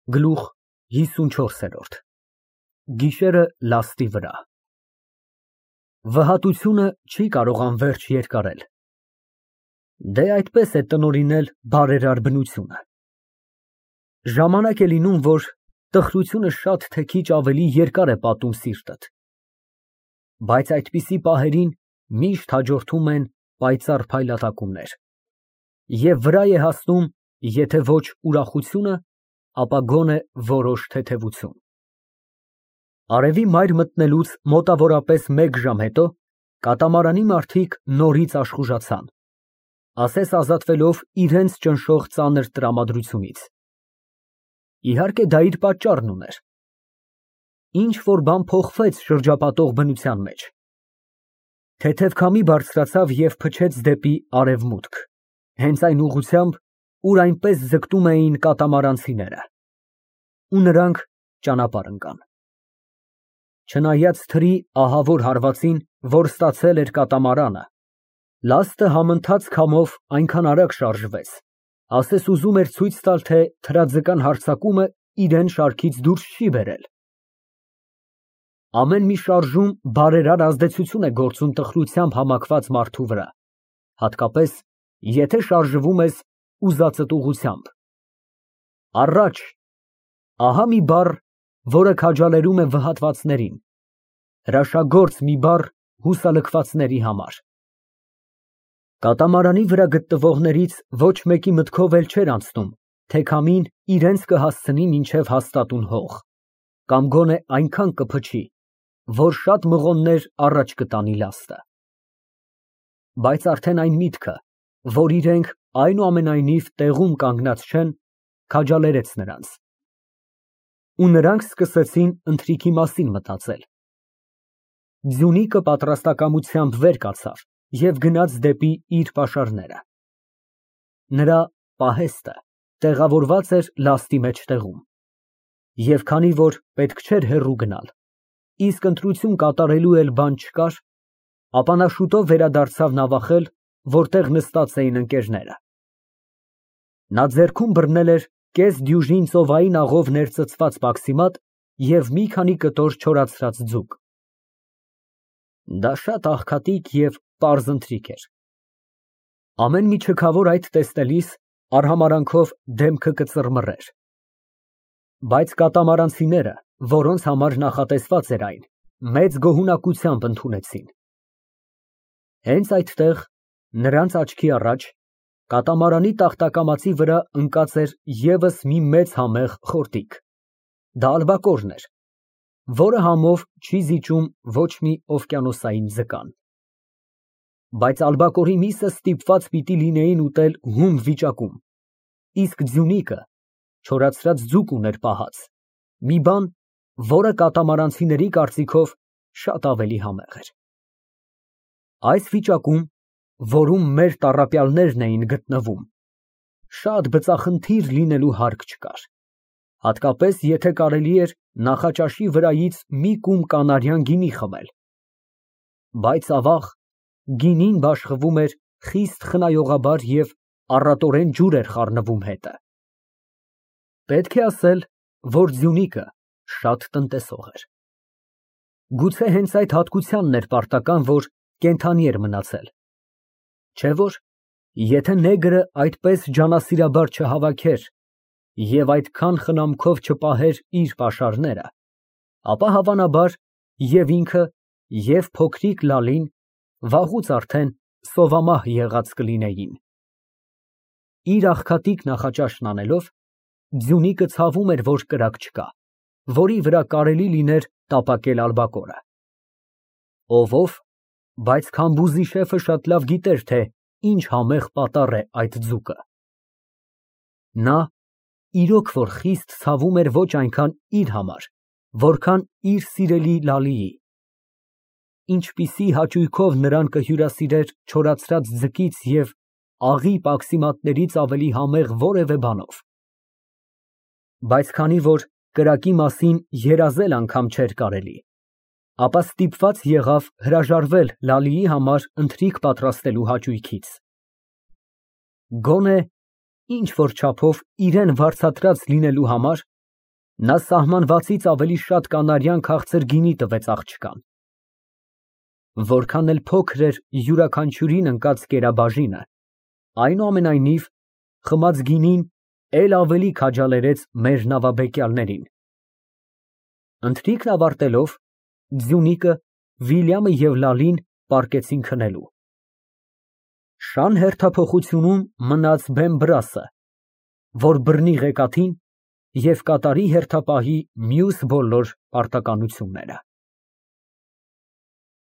Գլուխ 54 Գիշերը լաստի վրա։ Վհատությունը չի կարող անվերջ երկարել։ Դե այդպես է տնօրինել բարերար բնությունը։ Ժամանակ է լինում, որ տխրությունը շատ թե քիչ ավելի երկար է պատում սիրտդ, բայց այդպիսի պահերին միշտ հաջորդում են պայծառ փայլատակումներ, և վրա է հասնում, եթե ոչ ուրախությունը, ապա գոնե որոշ թեթևություն։ Արևի մայր մտնելուց մոտավորապես մեկ ժամ հետո կատամարանի մարդիկ նորից աշխուժացան, ասես ազատվելով իրենց ճնշող ծանր տրամադրությունից։ Իհարկե դա իր պատճառն ուներ։ Ինչ-որ բան փոխվեց շրջապատող բնության մեջ։ Թեթև քամի բարձրացավ և փչեց դեպի արևմուտք, հենց այն ուղղությամբ, ուր այնպես ձգտում էին կատամարանցիները, ու նրանք ճանապարհ ընկան։ Չնայած թրի ահավոր հարվածին, որ ստացել էր կատամարանը, լաստը համընթաց քամով այնքան արագ շարժվեց, ասես ուզում էր ցույց տալ, թե թրաձկան հարձակումը իրան շարքից դուրս չի բերել։ Ամեն մի շարժում բարերար ազդեցություն է գործում տխրությամբ համակված մարդու վրա, հատկապես, եթե շարժվում ես ուզածդ ուղղությամբ։ Առաջ, ահա մի բառ, որը քաջալերում է վհատվածներին, հրաշագործ մի բառ հուսալքվածների համար։ Կատամարանի վրա գտնվողներից ոչ մեկի մտքով էլ չէր անցնում, թե քամին իրենց կհասցնի մինչև հաստատուն հող, կամ գոնե այնքան կփչի, որ շատ մղոններ առաջ կտանի լաստը։ Բայց արդեն այն միտքը, որ իրենք այնուամենայնիվ տեղում կանգնած չեն, քաջալերեց նրանց։ Ու նրանք սկսեցին ընթրիքի մասին մտածել։ Ձյունիկը պատրաստակամությամբ վեր կացավ և գնաց դեպի իր պաշարները։ Նրա պահեստը տեղավորված էր լաստի մեջտեղում, և քանի որ պետք չէր հեռու գնալ, իսկ ընտրություն կատարելու էլ բան չկար, ապա նա շուտով վերադարձավ նավախել, որտեղ նստած էին ընկերները։ Նա ձեռքում բռնել էր կես դյուժին ծովային աղով ներծծված բաքսիմատ և մի քանի կտոր չորացրած ձուկ։ Դա շատ աղքատիկ և պարզ ընթրիք էր։ Ամեն մի չքավոր այդ տեսնելիս արհամարհանքով դեմքը կծռմռեր։ Բայց կատամարանցիները, որոնց համար նախատեսված էր այն, մեծ գոհունակությամբ ընդունեցին։ Հենց այդտեղ, նրանց աչքի առաջ, կատամարանի տախտակամածի վրա ընկած էր ևս մի մեծ համեղ խորտիկ։ Դա ալբակորն էր, որը համով չի զիջում ոչ մի օվկիանոսային ձկան։ Բայց ալբակորի միսը ստիպված պիտի լինեին ուտել հում վիճակում, իսկ ձյունիկը չորացրած ձուկ ուներ պահած, մի բան, որը կատամարանցիների կարծիքով շատ ավելի համեղ էր։ Այս վիճակում, որում մեր տառապյալներն էին գտնվում, շատ բծախնդիր լինելու հարկ չկար, հատկապես եթե կարելի էր նախաճաշի վրայից մի կում կանարյան գինի խմել, բայց ավաղ, գինին բաշխվում էր խիստ խնայողաբար և առատորեն ջուր էր խառնվում հետը։ Պետք է ասել, որ ձյունիկը շատ տնտեսող էր։ Գուցե հենց այդ հատկությանն էր պարտական, որ կենդանի էր մնացել, չէ՞ որ, եթե նեգրը այդպես ջանասիրաբար չհավաքեր և այդքան խնամքով չպահեր իր պաշարները, ապա հավանաբար և ինքը, և փոքրիկ Լալին վաղուց արդեն սովամահ եղած կլինեին։ Իր աղքատիկ նախաճաշն անելով, ձյունիկը ցավում էր, որ կրակ չկա, որի վրա կարելի լիներ տապակել ալբակորը։ Ով, բայց քամբուզի շեֆը շատ լավ գիտեր, թե ինչ համեղ պատառ է այդ ձուկը։ Նա իրոք որ խիստ ցավում էր ոչ այնքան իր համար, որքան իր սիրելի Լալիի։ Ինչպիսի հաճույքով նրան կհյուրասիրեր չորացրած ձկից և աղի պաքսիմատներից ավելի համեղ որևէ բանով։ Բայց քանի որ կրակի մասին երազել անգամ չէր կարելի, ապա ստիպված եղավ հրաժարվել Լալիի համար ընթրիք պատրաստելու հաճույքից։ Գոնե ինչ֊որ չափով իրան վարձատրած լինելու համար, Նա սահմանվածից ավելի շատ կանարյան քաղցր գինի տվեց աղջկան։ Որքան էլ փոքր էր յուրաքանչյուրին ընկած կերաբաժինը, այնուամենայնիվ խմած գինին էլ ավելի քաջալերեց մեր նավաբեկյալներին։ Ընթրիքն ավարտելով, Ձյունիկը, Վիլյամը և Լալին պառկեցին քնելու։ Շան հերթափոխությունում մնաց Բեն֊Բրասը, որ բռնի ղեկաթին և կատարի հերթապահի մյուս բոլոր պարտականությունները։